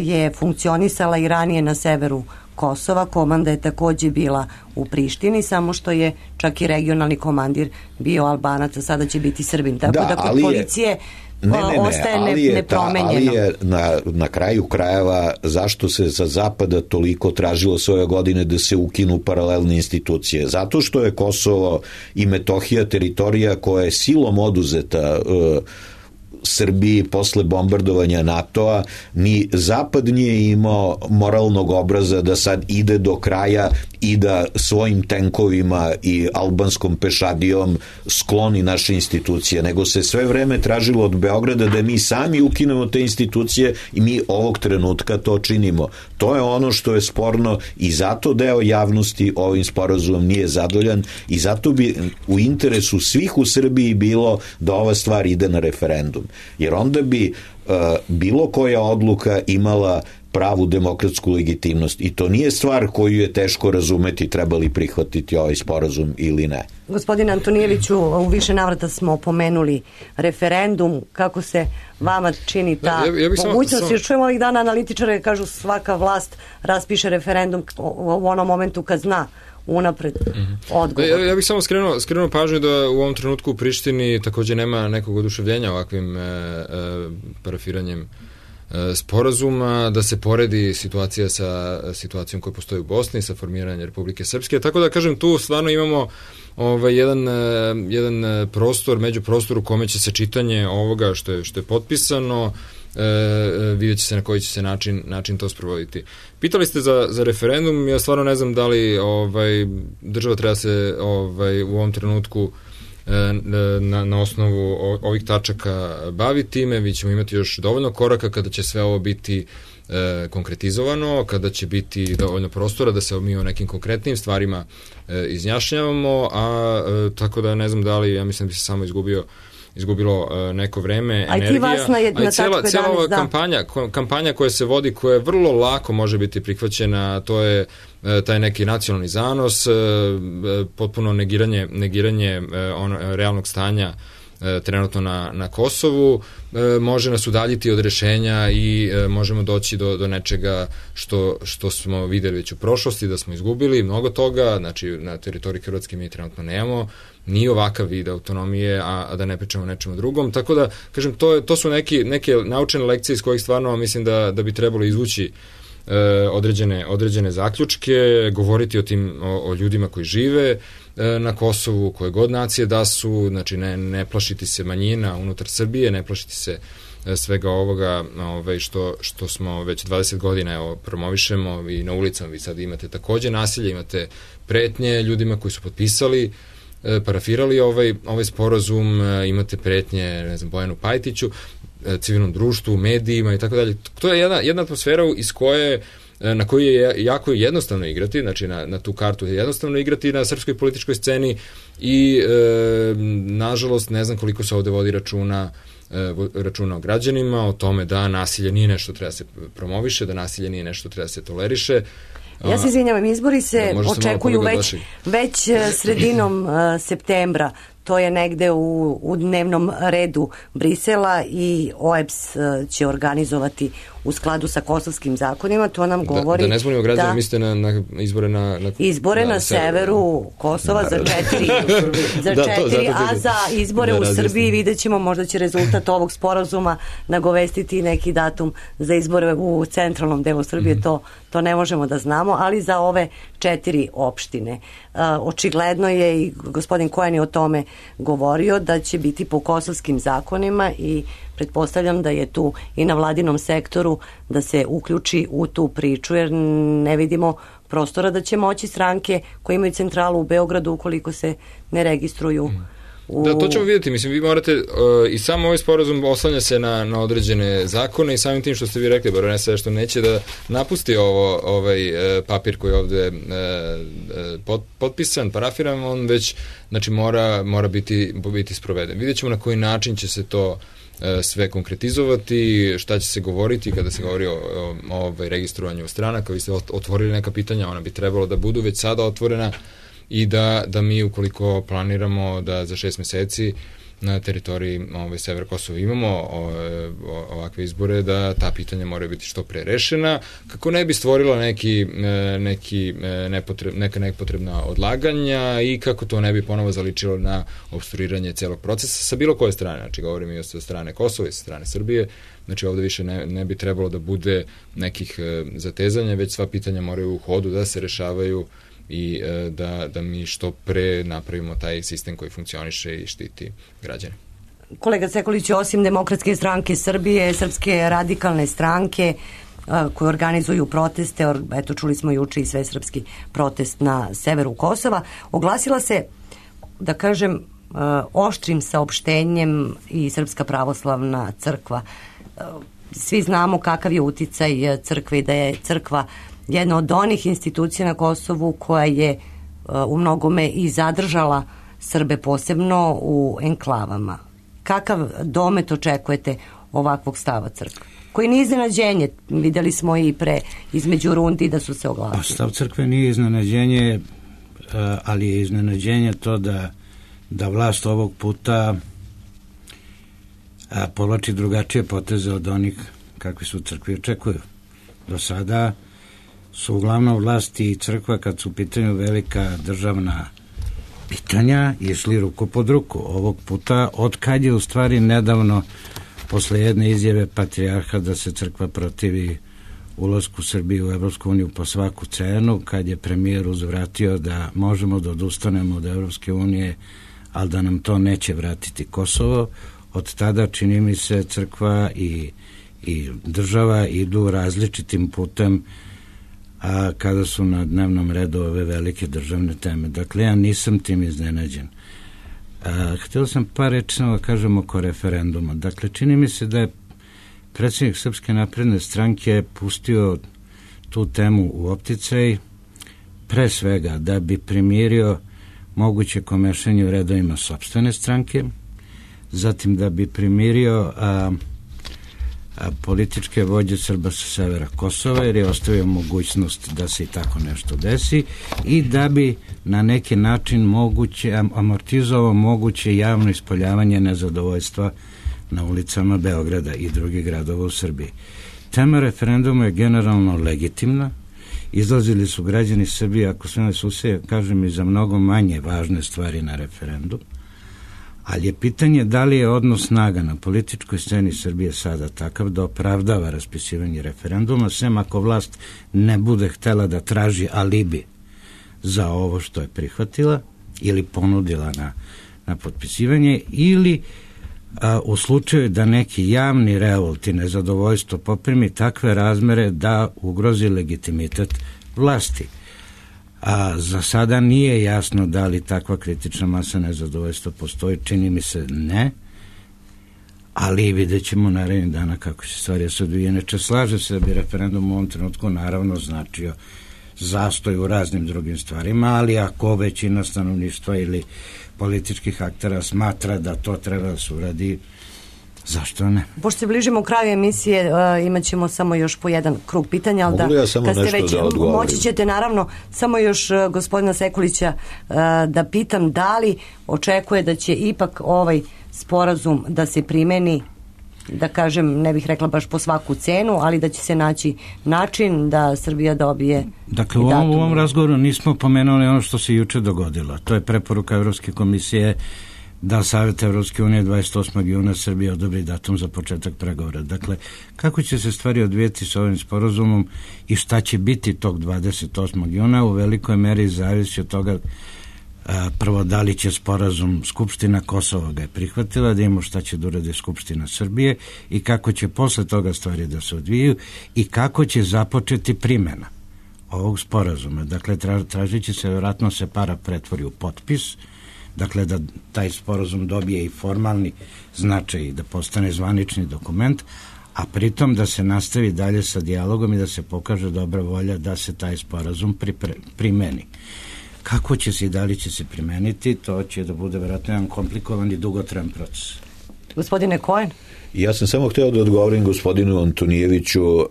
je funkcionisala i ranije na severu Kosova, komanda je takođe bila u Prištini, samo što je čak i regionalni komandir bio Albanac, a sada će biti Srbin. Tako da, da kod policije Ne, ne, ne, ostaje ali je, nepromenjeno. Ta, ali je na, na kraju krajeva zašto se za Zapada toliko tražilo svoje godine da se ukinu paralelne institucije? Zato što je Kosovo i Metohija teritorija koja je silom oduzeta uh, Srbiji posle bombardovanja NATO-a, ni Zapad nije imao moralnog obraza da sad ide do kraja i da svojim tenkovima i albanskom pešadijom skloni naše institucije, nego se sve vreme tražilo od Beograda da mi sami ukinemo te institucije i mi ovog trenutka to činimo. To je ono što je sporno i zato deo javnosti ovim sporazumom nije zadovoljan i zato bi u interesu svih u Srbiji bilo da ova stvar ide na referendum. Jer onda bi uh, bilo koja odluka imala pravu demokratsku legitimnost i to nije stvar koju je teško razumeti treba li prihvatiti ovaj sporazum ili ne. Gospodine Antonijeviću, u više navrata smo pomenuli referendum, kako se vama čini ta ja, ja mogućnost, sam... još čujemo ovih dana analitičare kažu svaka vlast raspiše referendum u onom momentu kad zna unapred odgovor. Ja, ja bih samo skrenuo, skrenuo pažnju da u ovom trenutku u Prištini takođe nema nekog oduševljenja ovakvim e, e, parafiranjem e, sporazuma, da se poredi situacija sa situacijom koja postoji u Bosni, sa formiranjem Republike Srpske. Tako da, kažem, tu stvarno imamo ovaj, jedan, jedan prostor, među prostor u kome će se čitanje ovoga što je, što je potpisano, E, vidjet će se na koji će se način, način to sprovoditi. Pitali ste za, za referendum, ja stvarno ne znam da li ovaj, država treba se ovaj, u ovom trenutku e, na, na osnovu ovih tačaka bavi time. Vi ćemo imati još dovoljno koraka kada će sve ovo biti e, konkretizovano, kada će biti dovoljno prostora da se mi o nekim konkretnim stvarima e, izjašnjavamo, a e, tako da ne znam da li, ja mislim da bi se samo izgubio izgubilo uh, neko vreme, a energija, vas na jedna, a i cijela, cijela ova da. kampanja, kampanja koja se vodi, koja je vrlo lako može biti prihvaćena, to je uh, taj neki nacionalni zanos, uh, potpuno negiranje, negiranje uh, on, realnog stanja uh, trenutno na, na Kosovu, uh, može nas udaljiti od rešenja i uh, možemo doći do, do nečega što, što smo videli već u prošlosti, da smo izgubili mnogo toga, znači na teritoriji Hrvatske mi trenutno nemamo ni ovakav vid autonomije, a, a da ne pričamo o nečemu drugom. Tako da, kažem, to, je, to su neki, neke naučene lekcije iz kojih stvarno mislim da, da bi trebalo izvući e, određene, određene zaključke, govoriti o tim, o, o ljudima koji žive e, na Kosovu, koje god nacije da su, znači ne, ne plašiti se manjina unutar Srbije, ne plašiti se e, svega ovoga ovaj, što, što smo već dvadeset godina evo, promovišemo i na ulicama. Vi sad imate takođe nasilje, imate pretnje ljudima koji su potpisali parafirali ovaj, ovaj sporazum, imate pretnje, ne znam, Bojanu Pajtiću, civilnom društvu, medijima i tako dalje. To je jedna, jedna atmosfera iz koje, na koju je jako jednostavno igrati, znači na, na tu kartu je jednostavno igrati na srpskoj političkoj sceni i e, nažalost ne znam koliko se ovde vodi računa e, računa o građanima, o tome da nasilje nije nešto treba se promoviše, da nasilje nije nešto treba se toleriše. Ja se izvinjavam, izbori se da, očekuju već, već sredinom uh, septembra. To je negde u, u dnevnom redu Brisela i O E B S će organizovati u skladu sa kosovskim zakonima. To nam govori da, da ne zbunimo građane, da, mislite na, na izbore na, na izbore na, na severu Kosova na, za četiri, za da, četiri to, a za izbore da, u Srbiji vidjet ćemo, možda će rezultat ovog sporazuma nagovestiti neki datum za izbore u centralnom delu Srbije, mm-hmm. to, to ne možemo da znamo, ali za ove četiri opštine. Uh, očigledno je i gospodin Kojan je o tome govorio da će biti po kosovskim zakonima i pretpostavljam da je tu i na vladinom sektoru da se uključi u tu priču, jer ne vidimo prostora da će moći stranke koje imaju centralu u Beogradu ukoliko se ne registruju U... Da, to ćemo vidjeti. Mislim, vi morate, uh, i sam ovaj sporazum oslanja se na, na određene zakone i samim tim što ste vi rekli, baronesa, što neće da napusti ovo, ovaj uh, papir koji je ovde uh, uh, pot, potpisan, parafiran, on već, znači, mora, mora biti, biti sproveden. Vidjet ćemo na koji način će se to sve konkretizovati, šta će se govoriti kada se govori o, o, o ovaj, registrovanju stranaka. Vi ste otvorili neka pitanja, ona bi trebalo da budu već sada otvorena i da, da mi, ukoliko planiramo da za šest meseci na teritoriji ove, Sever Kosova imamo o, o, ovakve izbore, da ta pitanja moraju biti što pre rešena, kako ne bi stvorila neki, neki nepotreb, neka nepotrebna odlaganja i kako to ne bi ponovo zaličilo na obstruiranje celog procesa sa bilo koje strane. Znači, govorim i sa strane Kosova i sa strane Srbije. Znači, ovde više ne, ne bi trebalo da bude nekih zatezanja, već sva pitanja moraju u hodu da se rešavaju i da, da mi što pre napravimo taj sistem koji funkcioniše i štiti građane. Kolega Sekulić, osim Demokratske stranke Srbije, Srpske radikalne stranke koje organizuju proteste, eto čuli smo juče i svesrpski protest na severu Kosova, oglasila se, da kažem, oštrim saopštenjem i Srpska pravoslavna crkva. Svi znamo kakav je uticaj crkve i da je crkva jedna od onih institucija na Kosovu koja je u mnogome i zadržala Srbe, posebno u enklavama. Kakav domet očekujete ovakvog stava crkve? Koji nije iznenađenje, videli smo i pre između rundi da su se oglasili. Pa stav crkve nije iznenađenje, ali je iznenađenje to da, da vlast ovog puta povlači drugačije poteze od onih kakvi su crkvi očekuju. Do sada su uglavnom vlasti i crkva, kad su u pitanju velika državna pitanja, išli ruku pod ruku. Ovog puta, od kad je u stvari nedavno, posle jedne izjave patrijarha da se crkva protivi ulasku Srbije u Evropsku uniju po svaku cenu, kad je premijer uzvratio da možemo da odustanemo od Evropske unije, ali da nam to neće vratiti Kosovo, od tada čini mi se crkva i, i država idu različitim putem a kada su na dnevnom redu ove velike državne teme. Dakle, ja nisam tim iznenađen. A, htio sam par reći da kažem oko referenduma. Dakle, čini mi se da je predsjednik Srpske napredne stranke pustio tu temu u opticaj, pre svega da bi primirio moguće komešanje u redovima sopstvene stranke, zatim da bi primirio a, a, političke vođe Srba sa severa Kosova, jer je ostavio mogućnost da se i tako nešto desi, i da bi na neki način moguće, amortizovao moguće javno ispoljavanje nezadovoljstva na ulicama Beograda i drugih gradova u Srbiji. Tema referenduma je generalno legitimna. Izlazili su građani Srbije, ako sve ne suseje, kažem, i za mnogo manje važne stvari na referendum, ali je pitanje da li je odnos snaga na političkoj sceni Srbije sada takav da opravdava raspisivanje referenduma, sem ako vlast ne bude htela da traži alibi za ovo što je prihvatila ili ponudila na, na potpisivanje, ili a, u slučaju da neki javni revolt i nezadovoljstvo poprimi takve razmere da ugrozi legitimitet vlasti. A za sada nije jasno da li takva kritična masa nezadovoljstva postoji, čini mi se ne, ali vidjet ćemo narednih dana kako se stvari se odvije. Inače, slaže se da bi referendum u ovom trenutku naravno značio zastoj u raznim drugim stvarima, ali ako većina stanovništva ili političkih aktera smatra da to treba da se uradi, zašto ne? Pošto se bližimo kraju emisije, uh, imat ćemo samo još po jedan krug pitanja, ali Mogu da, ja samo kad ste nešto već, da odgovorim? moći ćete naravno samo još uh, gospodina Sekulića uh, da pitam da li očekuje da će ipak ovaj sporazum da se primeni, da kažem, ne bih rekla baš po svaku cenu, ali da će se naći način da Srbija dobije. Dakle, u ovom, u ovom razgovoru nismo pomenuli ono što se juče dogodilo. To je preporuka Evropske komisije da Savjet Evropske unije dvadeset osmog juna Srbije odobri datum za početak pregovora. Dakle, kako će se stvari odvijeti s ovim sporazumom i šta će biti tog dvadeset osmog juna u velikoj meri zavisi od toga, a, prvo, da li će sporazum Skupština Kosova ga je prihvatila, da imamo šta će da uradi Skupština Srbije i kako će posle toga stvari da se odvijaju i kako će započeti primjena ovog sporazuma. Dakle, tra, tražit će se, vjerojatno se para pretvori u potpis, dakle da taj sporazum dobije i formalni značaj i da postane zvanični dokument, a pritom da se nastavi dalje sa dijalogom i da se pokaže dobra volja da se taj sporazum pripre, primeni. Kako će se i da li će se primeniti, to će da bude vjerojatno jedan komplikovan i dugotrajan proces. Gospodine Cohen? Ja sam samo hteo da odgovorim gospodinu Antonijeviću uh,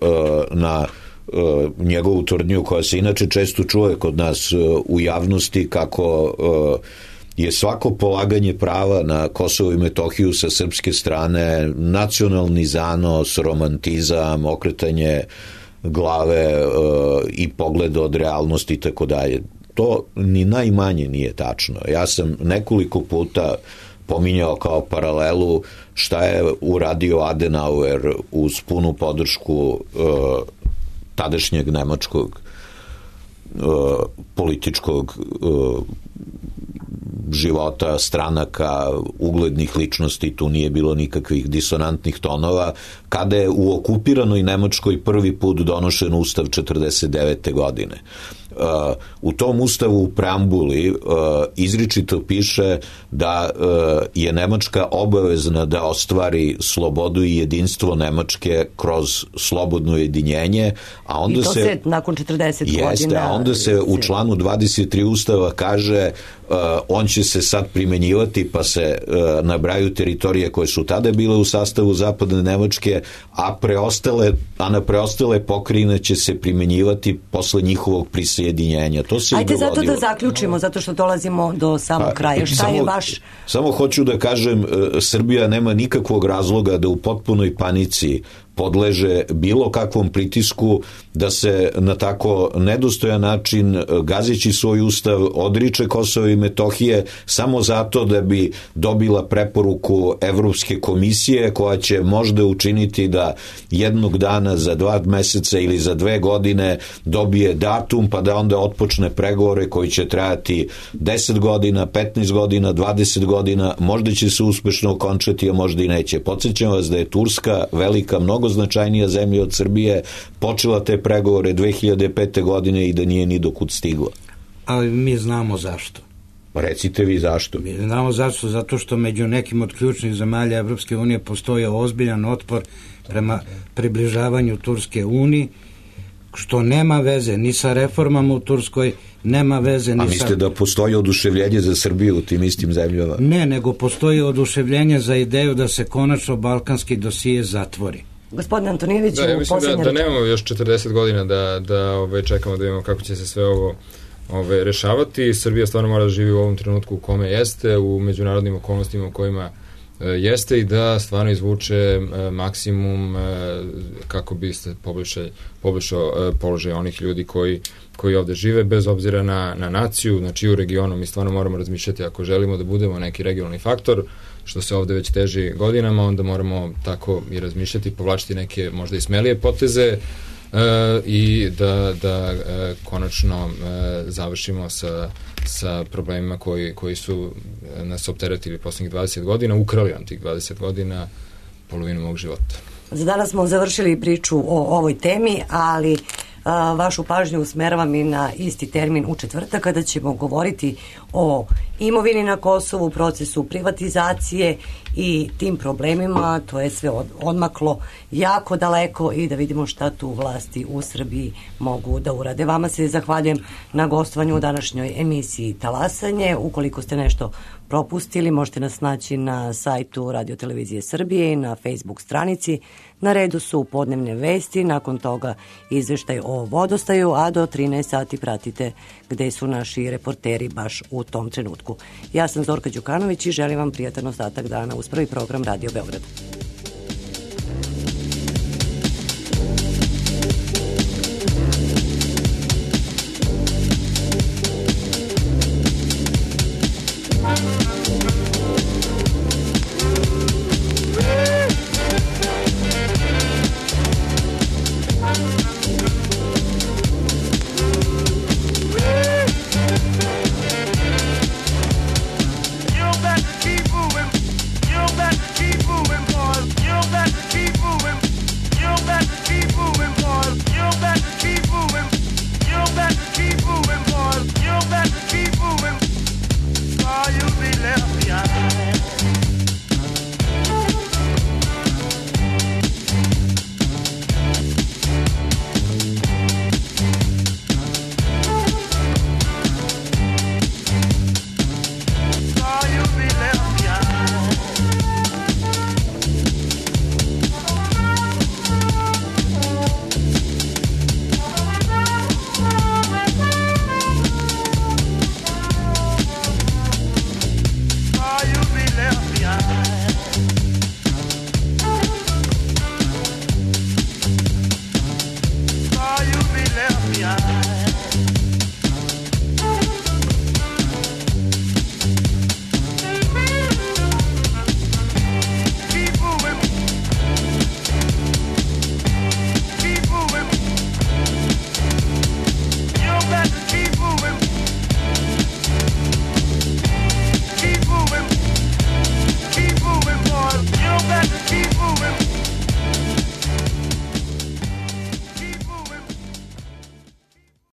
na uh, njegovu tvrdnju koja se inače često čuje kod nas uh, u javnosti, kako uh, je svako polaganje prava na Kosovo i Metohiju sa srpske strane nacionalni zanos, romantizam, okretanje glave uh, i pogleda od realnosti i tako dalje. To ni najmanje nije tačno. Ja sam nekoliko puta pominjao kao paralelu šta je uradio Adenauer uz punu podršku uh, tadašnjeg nemačkog uh, političkog uh, života, stranaka, uglednih ličnosti, tu nije bilo nikakvih disonantnih tonova, kada je u okupiranoj Nemačkoj prvi put donošen ustav četrdeset devete godine. Uh, u tom ustavu u preambuli uh, izričito piše da uh, je Nemačka obavezna da ostvari slobodu i jedinstvo Nemačke kroz slobodno jedinjenje, a onda I to se, se nakon četrdeset jeste, godina... a onda se u članu dvadeset tri ustava kaže uh, on će se sad primenjivati, pa se uh, nabraju teritorije koje su tada bile u sastavu zapadne Nemačke, a preostale, a na preostale pokrajine će se primenjivati posle njihovog prisjedinjenja. To se Ajde i dogodilo. zato da zaključimo, zato što dolazimo do samog kraja. Šta samo, je vaš... Samo hoću da kažem, Srbija nema nikakvog razloga da u potpunoj panici podleže bilo kakvom pritisku da se na tako nedostojan način, gazeći svoj ustav, odriče Kosova i Metohije samo zato da bi dobila preporuku Evropske komisije, koja će možda učiniti da jednog dana za dva meseca ili za dve godine dobije datum, pa da onda otpočne pregovore koji će trajati deset godina, petnaest godina, dvadeset godina, možda će se uspešno okončati, a možda i neće. Podsjećam vas da je Turska, velika, mnogo značajnija zemlja od Srbije, počela te pregovore dve hiljade pete godine i da nije ni dokud stigla. Ali mi znamo zašto. Recite vi zašto. Mi znamo zašto, zato što među nekim od ključnih zemalja Evropske unije postoji ozbiljan otpor prema približavanju Turske uniji, što nema veze ni sa reformama u Turskoj, nema veze ni sa... A mislite da postoji oduševljenje za Srbiju u tim istim zemljama? Ne, nego postoji oduševljenje za ideju da se konačno balkanski dosije zatvori. Gospodin Antonijević, da, ja mislim da, da nemamo još četrdeset godina da, da ove, čekamo da vidimo kako će se sve ovo ove, rešavati. Srbija stvarno mora da živi u ovom trenutku u kome jeste, u međunarodnim okolnostima u kojima e, jeste i da stvarno izvuče e, maksimum e, kako bi se poboljšao, poboljšao e, položaj onih ljudi koji, koji ovde žive, bez obzira na, na naciju, znači u regionu. Mi stvarno moramo razmišljati, ako želimo da budemo neki regionalni faktor, što se ovde već teži godinama, onda moramo tako i razmišljati, povlačiti neke možda i smelije poteze e, i da, da e, konačno e, završimo sa, sa problemima koji, koji su nas opteretili poslednjih dvadeset godina, ukrali nam tih dvadeset godina polovinu mog života. Za danas smo završili priču o ovoj temi, ali a, vašu pažnju usmeravam i na isti termin u četvrtak, kada ćemo govoriti o imovini na Kosovu, procesu privatizacije i tim problemima. To je sve od, odmaklo jako daleko i da vidimo šta tu vlasti u Srbiji mogu da urade. Vama se zahvaljujem na gostovanju u današnjoj emisiji Talasanje. Ukoliko ste nešto propustili, možete nas naći na sajtu Radio Televizije Srbije i na Facebook stranici. Na redu su podnevne vesti, nakon toga izveštaj o vodostaju, a do trinaest sati pratite gde su naši reporteri baš u tom trenutku. Ja sam Zorka Đukanović i želim vam prijatan ostatak dana uz prvi program Radio Beograd.